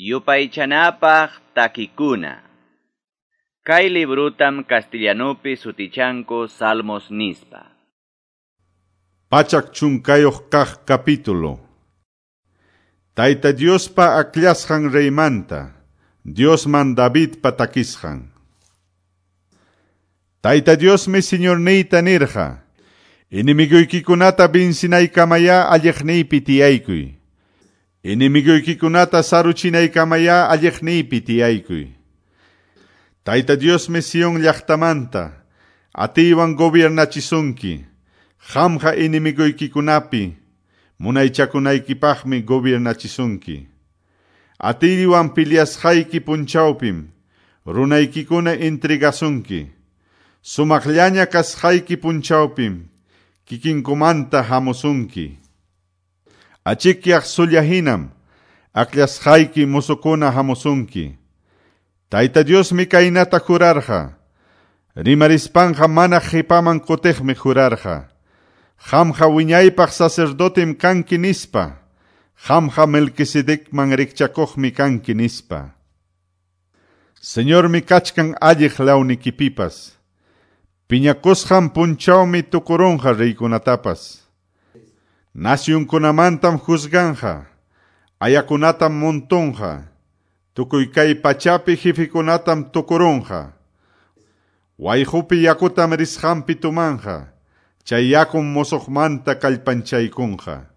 Yupaychanapaq takikuna. Kay librutam castellanupi sutichanku Salmos nispa. 110 kaq capítulo. Tayta Diospa akllashqan reymanta, Diosman Davidpa takisqan. Tayta Diosmi Señorniyta nirqa, enemiguykikunata binsinaykamaya alliqniypi tiyaykuy. Enemiguykikunata saruchinaykamaya alliqniypi tiyaykuy. Tayta Diosmi Sion llaqtamanta, atiywan gobiernachisunki, qamqa enemigoykikunapi, munaychakunaykipaqmi gobiernachisunki. Atiywan peleasqayki punchawpim, runaykikuna entregasunki. Sumaqllaña kasqayki punchawpim, kikinkumanta hamusunki. Achikyaq sulla hinam, akllashqayki musukuna hamusunki. Tayta Diosmi kaynata jurarqa, rimarispanqa mana qipaman kutiqmi jurarqa. Qamqa wiñaypaq sacerdotem kanki nispa, qamqa Melquisedecman rikchakuqmi kanki nispa. Señormi kachkan alliq lawnikipipas, piñakusqan punchawmi tukurunqa reykunatapas. Nasyunkunamantam juzganqa, ayakunatam montonqa, tukuy kay pachapi jefekunatam tukurunqa. Wayqupi yakutam risqanpi tumanqa, chay yakum musuqmanta kallpanchaykunqa.